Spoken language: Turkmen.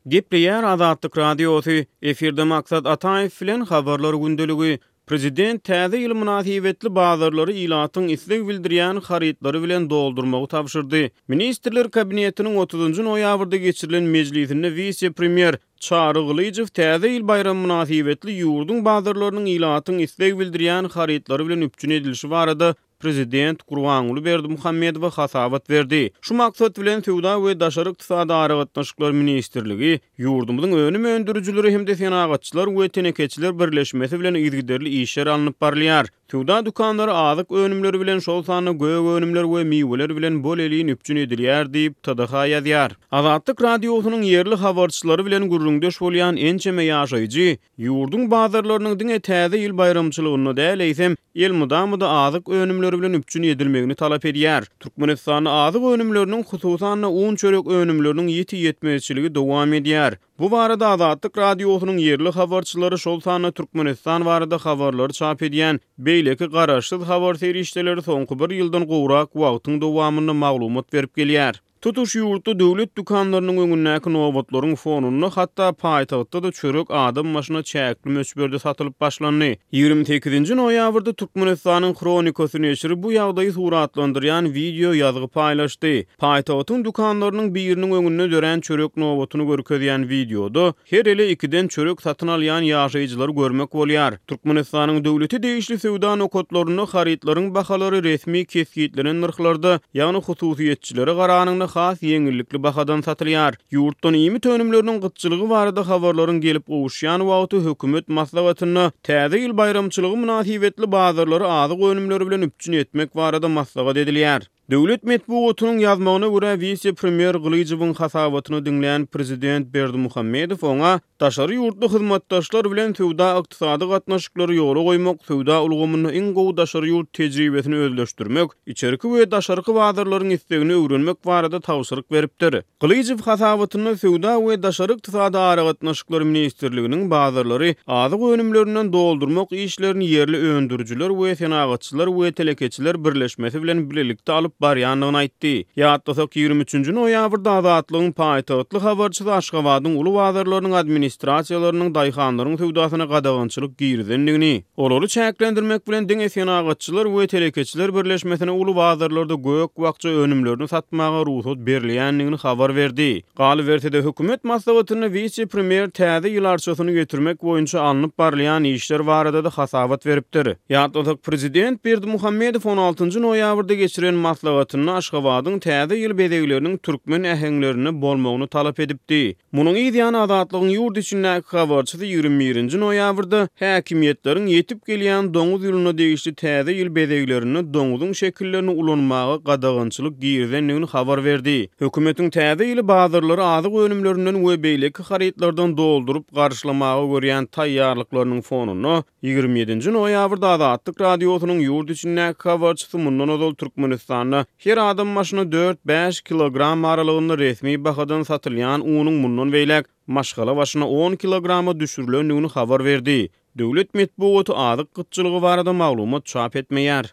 Gepleýär Azatlyk Radiosy, efirde Maksat Ataýew bilen Habarlar gündeligi. Prezident Täze ýyl mynasybetli bazarlary ilatyň isleg bildirýän harytlary bilen doldurmagy tabşyrdy. Ministrler Kabinetiniň otuzynjy noýabrda geçirilen mejlisinde wise-premýer Çary Gylyjow Täze ýyl baýramy mynasybetli ýurduň bazarlarynyň ilatyň isleg bildirýän harytlary bilen üpjün edilişi barada prezident Gurbanguly Berdimuhamedowa hasabat berdi. Şu maksat bilen, Söwda we daşary ykdysady aragatnaşyklar ministrligi ýurdumyzyň önüm öndürijileri hem-de Senagatçylar we telekeçiler birleşmesi bilen yzygiderli işler alnyp barylýar. Söwda dükanlary azyk önümleri bilen, şol sanda gök önümler we miweler bilen bol-elin üpjün edilýär diýip, TDH ýazýar. Azatlyk Radiosynyň ýerli habarçylary bilen gürrüňdeş bolýan ençeme ýaşaýjy Ýurduň bazarlarynyň diňe Täze ýyl baýramçylygynda däl, eýsem, elmydama-da azyk önümleri bilen üpjün edilmegini talap edýär. Türkmenistanda azyk önümleriniň, hususan-da, un-çörek önümleriniň ýiti ýetmezçiligi dowam edýär. Bu barada Azatlyk Radiosynyň ýerli habarçylary, şol sanda Türkmenistan barada habarlary çap edýän beýleki garaşsyz habar serişdeleri soňky bir ýyldan gowrak wagtyň dowamynda maglumat berip gelýär. Tutuş ýurtda döwlet dükanlarynyň öňündäki nobatlaryň fonunda hatda paýtagtda-da çörek adam başyna çäkli möçberde satylyp başlandy. 28-nji noýabrda Türkmenistanyň Hronikasy neşiri bu ýagdaýy suratlandyrýan wideo ýazgy paýlaşdy. Paýtagtyň dükanlarynyň biriniň öňünde dörän çörek nobatyny görkezýän wideoda Her ele ikiden çörek satyn alýan ýaşaýjylary görmek bolýar. Türkmenistanyň döwlete degişli söwda nokatlarynda harytlaryň bahalary resmi kesgitlenen nyrhlarda, ýagny hususyýetçilere garanyňda has ýeňillikli bahadan satylýar. Ýurtdan iýmit önümleriniň gytçylygy barada habarlaryň gelip gowuşýan wagty hökümet maslahatynda Täze ýyl baýramçylygy mynasybetli bazarlary azyk önümleri bilen üpjün etmek barada maslahat edilýär. Döwlet metbugatynyň ýazmagyna görä, wise-premýer Gylyjowyň hasabatyny diňlän prezident Berdimuhamedow oňa daşary ýurtly hyzmatdaşlar bilen söwda-ykdysady gatnaşyklary ýola goýmak, söwda ulgamynda iň gowy daşary ýurt tejribesini özleşdirmek, içerki we daşarky bazarlaryň islegini öwrenmek barada tabşyryk beripdir. Gylyjow hasabatynda Söwda we daşary ykdysady aragatnaşyklar ministrliginiň bazarlary azyk önümlerinden doldurmak işlerini ýerli öndürijiler we Senagatçylar we telekeçiler birleşmesi bilen bilelikde alyp barýandygyny aýtdy. Ýatlasak, 23 nji noýabrda Azatlygyň paýtagtly habarçysy Aşgabadyň uly bazarlarynyň administrasiýalarynyň daýhanlaryň söwdasyna gadagançylyk girizendigini, Olary çäklendirmek bilen diňe Senagatçylar we telekeçiler birleşmesine uly bazarlarda gök-bakja önümlerini satmaga rugsat berilýändigini habar berdi. Galyberse-de, hökümet maslahatynda wise-premýer täze ýyl arçasyny getirmek boýunça alnyp barylýan işler barada-da hasabat beripdir. Ýatlasak, prezident Berdimuhamedow on altynjy noýabrda geçiren maslahatynda Aşgabadyň täze ýyl bezegleriniň türkmen äheňlerinde bolmagyny talap edipdi. Munuň yz ýany Azatlygyň ýurt içindäki habarçysy 21 nji noýabrda häkimiýetleriň ýetip gelýän doňuz ýylyna degişli täze ýyl bezeglerinde doňuzyň şekillerini ulanmaga gadagançylyk girizendigini habar berdi. Hökümetiň täze ýyly bazarlary azyk önümlerinden we beýleki harytlardan dolduryp garşylamaga görýän taýýarlyklarynyň fonunda, 27 nji noýabrda Azatlyk Radiosynyň ýurt içindäki habarçysy mundan ozal Türkmenistanda Her adam başyna dört-bäş kilogram aralygynda resmi bahadan satylýan unuň mundan beýläk maşgala başyna on kilograma düşürilendigini habar berdi. Döwlet metbugaty azyk gytçylygy barada maglumat çap etmeýär.